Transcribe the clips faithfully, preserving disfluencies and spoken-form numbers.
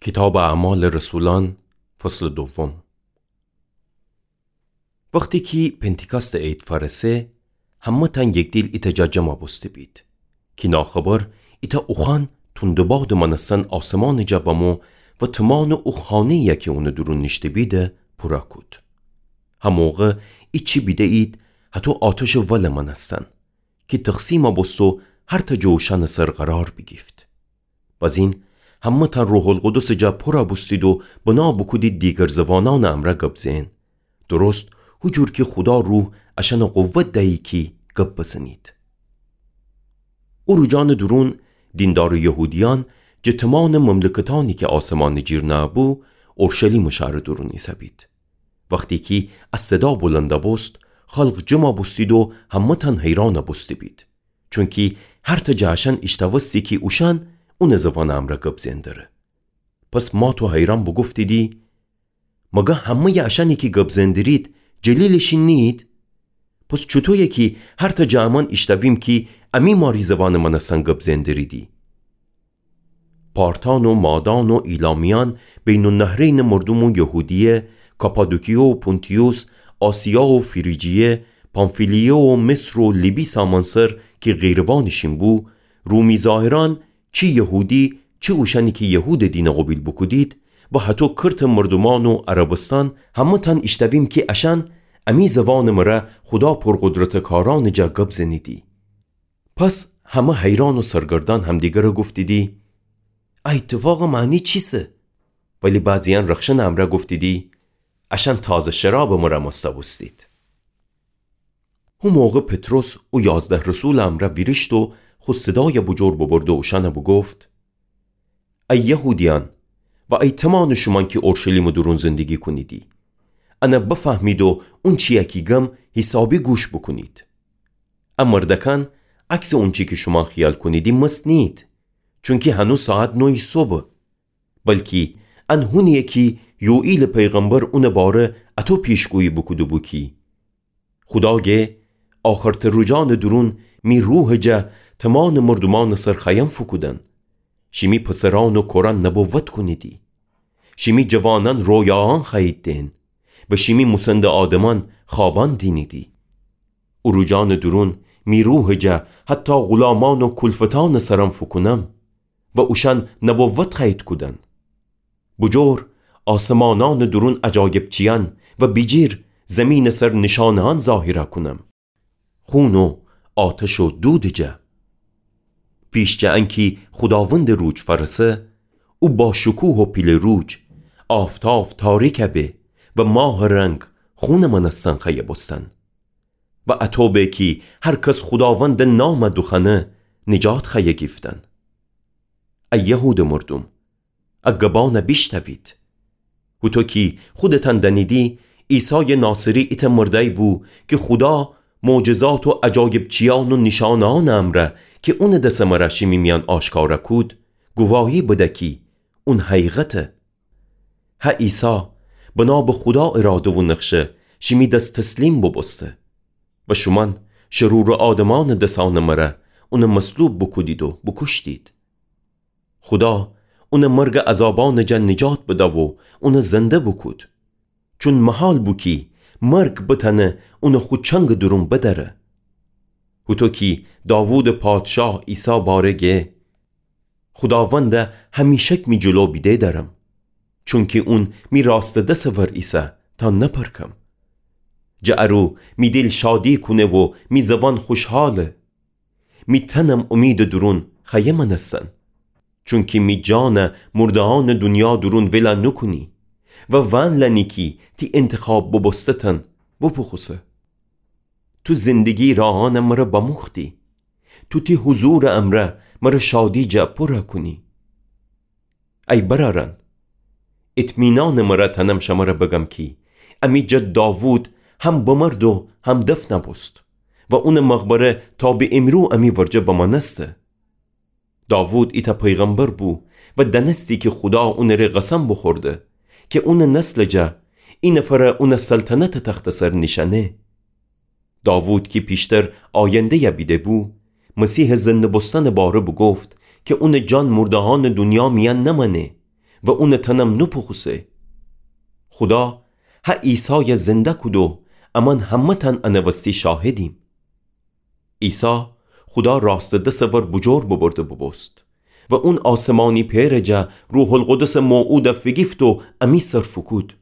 کیتابٚ اعمالٚ رسولأن، فصلٚ دوم. وختی کی پنتیکاستٚ عید فأرسه، همه‌تأن یکدیل ایتأ جا جمع بوسته بید. کی ناخبر ایتأ اوخوأن توندٚ بادٚ مأنستن آسمانٚ جا بمو و تومانٚ او خانه‌یی کی اونٚ دورون نیشته‌بید پورَ کود. هموقع ایچی بیده‌یید هتو آتشٚ ولٚ مأنستن کی تقسیم بوسته و هر تأ جٚه اوشأنٚ سر قرار بیگیفت. بزین همه‌تأن روح‌القدسٚ جا پورَ بوستید و بنا بوکودید دیگر زوانأنٚ امرأ گب زئن، درست هو جور کی خودا روح اشأنَ قوت دیی کی گب بزنید. او روجأنٚ دورون دیندارٚ یهودیأن جٚه تومانٚ مملکتأنی کی آسمانٚ جیر نأبو، اورشلیمٚ شهرٚ دورون ایسه‌بید. وختی کی ا صدا بلند بوست، خلق جمع بوستید و همه‌تأن حیران بوسته‌بید. چونکی هر تأ جٚه اشأن ایشتأوستی کی اوشأن اونٚ زوانٚ امرأ گب زئن دره. پس مات و حیران بوگفتیدی: مگر همه‌یٚ اشأنی کی گب زئن درید جلیلٚ شین نیید؟ پس چوطویه کی هر تأ جٚه امأن ایشتأویم کی امی ماری زوانٚ مأنستن گب زئن دریدی؟ پارتأن و مادأن و ایلامیأن، بین‌النهرینٚ مردوم و یهودیه، کاپادوکیه و پونتیوس، آسیا و فریجیه، پامفیلیه و مصر و لیبی سامأنسر کی قیروانٚ شین بو، رومی‌ظاهرأن، چی یهودی، چی اوشأنی کی یهودٚ دینَ قوبیل بوکودید، و هتو کرتٚ مردومأن و عربستأن، همه‌تأن ایشتأویم کی اشأن امی زوانٚ مرأ خودا پرقدرتٚ کارأنٚ جا گب زنیدی. پس همه حیران و سرگردأن همدیگرَ گفتیدی: ا ایتفاقٚ معنی چیسه؟ ولی بعضی‌یأن رخشنٚ امرأ گفتیدی: اشأن تازه شرابٚ مرأ مستَ بوستید. هو موقع پطرس او یازده رسولٚ امرأ ویریشت و خو صدایَ بوجور ببرد و اوشأنَ بوگفت: ای یهودیأن و ای تومانٚ شومأن کی اورشلیمٚ دورون زندگی کونیدی، انَ بفهمید و اونچی‌یَ کی گم حیسابی گوش بوکونید. ا مردکأن عکسٚ اونچی کی شومأن خیال کونیدی مست نیید، چونکی هنوز ساعت نویٚ صبحه. بلکی ان هونی‌یه کی یوئیلٚ پیغمبر اونٚ باره اطو پیشگویی بوکوده‌بو کی: خودا گه آخرتٚ روجأنٚ دورون می روحٚ جا تومانٚ مردومأنٚ سر خوأیم فوکودن. شیمی پسرأن و کورأن نبوت کونیدی. شیمی جوانأن رویایأن خوأیید دئن و شیمی موسندٚ آدمأن خوابأن دینیدی. او روجأنٚ دورون می روحٚ جا حتی غلامأن و کولفتأنٚ سرأن فوکونم و اوشأن نبوت خوأیید کودن. بوجور آسمانأنٚ دورون عجایبچیأن و بیجیر زیمینٚ سر نیشأنه‌أن ظاهر کونم، خون و آتش و دودٚ جا. پیش جٚه انکی خوداوندٚ روج فأرسه، او با شکوه و پیله روج، آفتاف تاریک به و ماهٚ رنگ خونٚ مأنستن خوأیه بوستن. و اطو به کی هر کس خوداوندٚ نامَ دوخوأنه نجات خوأیه گیفتن. ای یهودٚ مردوم، ا گبأنَ بیشنوید. هوطو کی خودتأن دأنیدی، عیسایٚ ناصری ایتأ مردأیی بو کی خودا معجزات و عجایبچیأن و نیشأنه‌أنٚ امرأ کی اونٚ دسٚ مرأ شیمی میأن آشکارَ کود، گواهی بده کی اون حقیقته. هه عیسی بنا به خودا اراده و نقشه شیمی دس تسلیم بوبوسته و شومأن شرورٚ آدمأنٚ دسأنٚ مرأ اونَ مصلوب بوکودید و بوکوشتید. خودا اونَ مرگٚ عذابأنٚ جا نجات بده و اونَ زنده بوکود. چون محال بو کی مرگ بتأنه اونَ خو چنگٚ دورون بدأره. هوطو کی داوودٚ پادشاه عیسی باره گه: خوداوندَ همیشک می جلو بیده دأرم، چونکی اون می راستٚ دسٚ ور ایسه تا نپرکم. جٚه ارو می دیل شادی کونه و می زوأن خوشحاله. می تنم امیدٚ دورون خوأیه مأنستن، چونکی می جانَ مرده‌أنٚ دونیا دورون ول نوکونی و وأن لأنی کی تی انتخاب بوبوسته‌تأن بوپوخوسه. تو زندگی راهأنَ مرَ بأموختی. تو تی حضورٚ امرأ مرَ شادی جا پورَ کونی. ای برأرأن، اطمینانٚ مرَ تأنم شمرَ بگم کی امی جد داوود هم بمرد و هم دفن بوست و اونٚ مقبره تا به امرو امی ورجه بمأنسته. داوود ایتأ پیغمبر بو و دأنستی کی خودا اونٚ ره قسم بوخورده کی اونٚ نسلٚ جا اینفر اونٚ سلطنتٚ تختٚ سر نیشأنه. داوود کی پیشتر آینده‌یَ بیده‌بو، مسیحٚ زنده بوستنٚ باره بوگفت کی اونٚ جان مرده‌أنٚ دونیا میأن نمأنه و اونٚ تنم نوپوخوسه. خودا هه عیسایَ زنده کودو امأن همه‌تأن انٚ وستی شاهدیم. عیسی خودا راستٚ دسٚ ور بوجور ببرده بوبوست و اون آسمانی پئرٚ جا روح‌القدسٚ موعودَ فیگیفت و امی سر فوکود.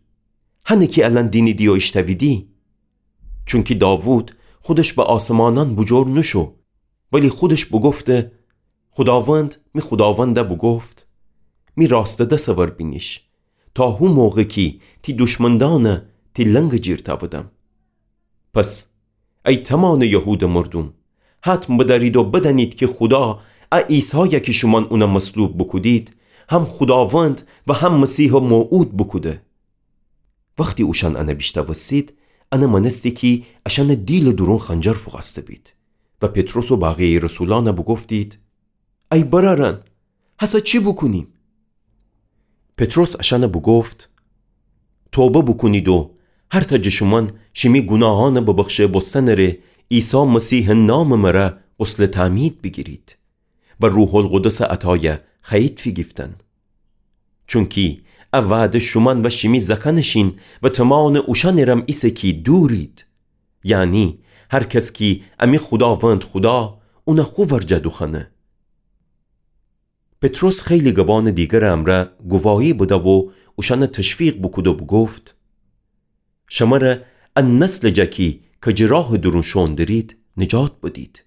هنه کی الأن دینیدی و ایشتأویدی. چونکی داوود خودش به آسمانأن بوجور نوشو، ولی خودش بوگفته: خوداوند می خوداوندَ بوگفت: می راستٚ دسٚ ور بینیش، تا هو موقع کی تی دوشمندأنَ تی لنگٚ جیر تأودم. پس ای تومامٚ یهودٚ مردوم، حتم بدأرید و بدأنید کی خودا ا عیسایَ کی شومأن اونَ مصلوب بوکودید، هم خوداوند و هم مسیحٚ موعود بوکوده. وختی اوشأن انَ بیشنوستید، انَ مأنستی کی اشأنٚ دیلٚ دورون خنجر فوقأسته بید و پطرس و بقیه‌یٚ رسولأنَ بوگفتید: ای برأرأن، هسه چی بوکونیم؟ پطرس اشأنَ بوگفت: توبه بوکونید و هر تأ جٚه شومأن شیمی گوناهأنٚ ببخشه بوستنٚ ره عیسی مسیحٚ نامٚ مره غسلٚ تعمید بیگیرید و روح‌القدسٚ عطایَ خوأیید فیگیفتن. چونکی ا وعده شومأن و شیمی زأکأنٚ شین و تومامٚ اوشأنٚ رم ایسه کی دورید، یعنی هر کس کی امی خوداوند خودا اونَ خو ورجه دوخوأنه. پطرس خیلی گبأنٚ دیگرٚ امرأ گواهی بده و اوشأنَ تشویق بوکود و بوگفت: شمره ا نسلٚ جا کی کجٚ راهٚ دورون شوئون درید، نجات بدید.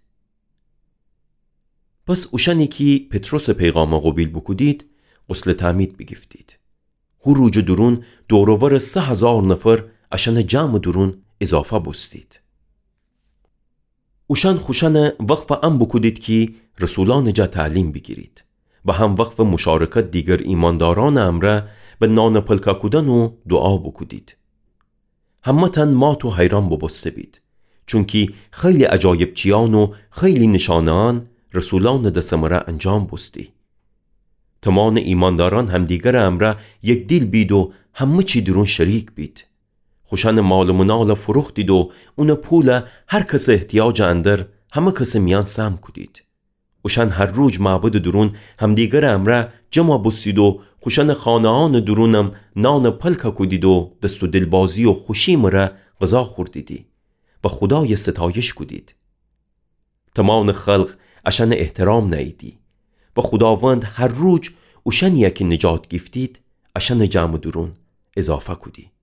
پس اوشأنی کی پطرسٚ پیغامَ قوبیل بوکودید، غسلٚ تعمید بیگیفتید. هو روجٚ دورون دور و ورٚ سه هزار نفر اشأنٚ جمعٚ دورون اضافه بوستید. اوشأن خوشأنَ وقفٚ ان بوکودید کی رسولأنٚ جا تعلیم بیگیرید و هم وقفٚ مشارکت دیگر ایمأندارأنٚ امرأ به نانٚ پلکه کودن و دوعا بوکودید. همه‌تأن مات و حیرأن بوبوسته بید، چونکی خیلی عجایب چیأن و خیلی نیشأنه‌أن رسولأنٚ دسٚ مره انجام بوستی. تومامٚ ایمأندارأن همدیگرٚ امرأ یک دیل بید و همه چی دورون شریک بید. خوشأنٚ مال و منالَ فروختید و اونٚ پولَ هر کسٚ احتیاجٚ اندر همه کسٚ میأن سهم کودید. اوشأن هر روج معبدٚ دورون همدیگرٚ امرأ جمع بوستید و خوشأنٚ خانه‌أنٚ دورونم نانٚ پلکه کودید و دست و دیلبازی و خوشی مره غذا خوردیدی و خودایَ ستایش کودید. تومامٚ خلق اشأنٚ احترام نأییدی و خوداوند هر روج اوشأنیَ کی نجات گیفتید، اشأنٚ جمعٚ دورون اضافه کودی.